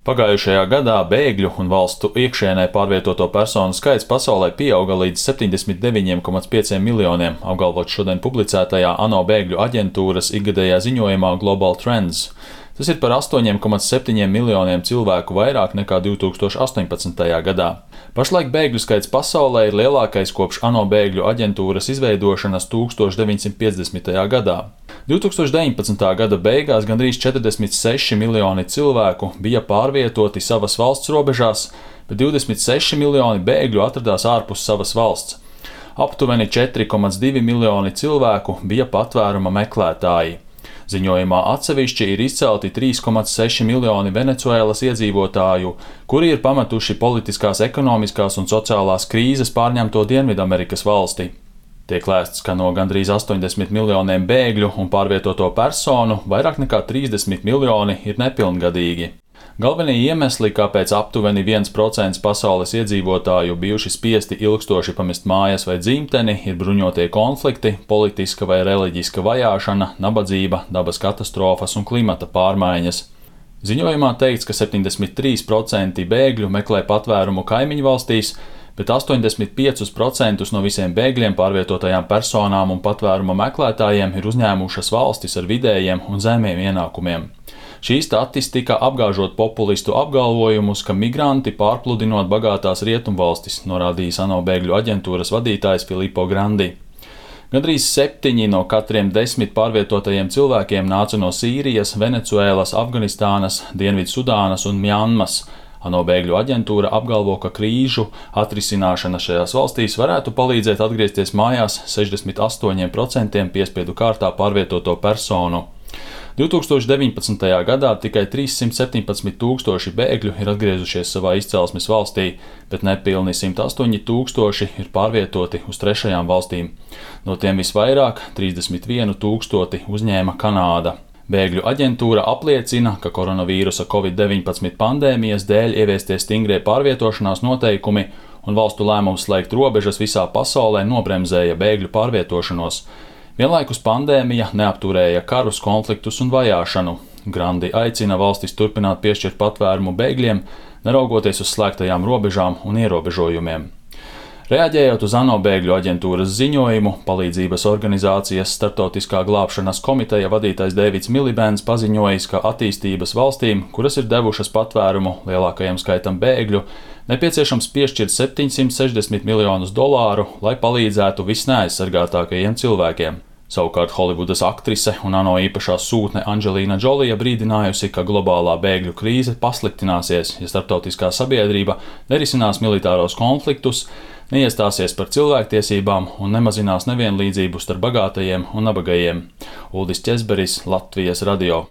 Pagājušajā gadā bēgļu un valstu iekšienē pārvietoto personu skaits pasaulē pieauga līdz 79,5 miljoniem, apgalvot šodien publicētajā ANO bēgļu aģentūras ikgadējā ziņojumā Global Trends. Tas ir par 8,7 miljoniem cilvēku vairāk nekā 2018. gadā. Pašlaik bēgļu skaits pasaulē ir lielākais kopš ANO bēgļu aģentūras izveidošanas 1950. gadā. 2019. gada beigās gandrīz 46 miljoni cilvēku bija pārvietoti savas valsts robežās, bet 26 miljoni bēgļu atradās ārpus savas valsts. Aptuveni 4,2 miljoni cilvēku bija patvēruma meklētāji. Ziņojumā atsevišķi ir izcelti 3,6 miljoni Venecuēlas iedzīvotāju, kuri ir pametuši politiskās, ekonomiskās un sociālās krīzes pārņemto Dienvidamerikas valsti. Tiek lēsts, ka no gandrīz 80 miljoniem bēgļu un pārvietoto personu vairāk nekā 30 miljoni ir nepilngadīgi. Galvenie iemesli, kāpēc aptuveni 1% pasaules iedzīvotāju bijuši spiesti ilgstoši pamest mājas vai dzimteni, ir bruņotie konflikti, politiska vai reliģiska vajāšana, nabadzība, dabas katastrofas un klimata pārmaiņas. Ziņojumā teikts, ka 73% bēgļu meklē patvērumu kaimiņu valstīs, bet 85% no visiem bēgļiem, pārvietotajām personām un patvēruma meklētājiem ir uzņēmušas valstis ar vidējiem un zemiem ienākumiem. Šī statistika apgāžot populistu apgalvojumus, ka migranti pārpludinot bagātās rietumvalstis, norādījis ANO bēgļu aģentūras vadītājs Filippo Grandi. Gandrīz 7 no katriem 10 pārvietotajiem cilvēkiem nāca no Sīrijas, Venecuēlas, Afganistānas, Dienvidsudānas un Mjanmas. ANO bēgļu aģentūra apgalvo, ka krīžu atrisināšana šajās valstīs varētu palīdzēt atgriezties mājās 68% piespiedu kārtā pārvietoto personu. 2019. gadā tikai 317 tūkstoši bēgļu ir atgriezušies savā izcelsmes valstī, bet nepilni 108 tūkstoši ir pārvietoti uz trešajām valstīm. No tiem visvairāk 31 tūkstoti uzņēma Kanāda. Bēgļu aģentūra apliecina, ka koronavīrusa Covid-19 pandēmijas dēļ ieviestie stingrie pārvietošanās noteikumi un valstu lēmums slēgt robežas visā pasaulē nobremzēja bēgļu pārvietošanos. Vienlaikus pandēmija neapturēja karus, konfliktus un vajāšanu. Grandi aicina valstis turpināt piešķirt patvērumu bēgļiem, neraugoties uz slēgtajām robežām un ierobežojumiem. Reaģējot uz ANO bēgļu aģentūras ziņojumu, palīdzības organizācijas Starptautiskā glābšanas komiteja vadītājs Deivids Milibēns paziņojis, ka attīstības valstīm, kuras ir devušas patvērumu lielākajam skaitam bēgļu, nepieciešams piešķirt $760 miljonus, lai palīdzētu visneaizsargātākajiem cilvēkiem. Savukārt Holivudas aktrise un ANO īpašā sūtne Angelīna Džolija brīdinājusi, ka globālā bēgļu krīze pasliktināsies, ja starptautiskā sabiedrība nerisinās militāros konfliktus, neiestāsies par cilvēktiesībām un nemazinās nevienlīdzību starp bagātajiem un nabagajiem. Uldis Ķezberis, Latvijas radio.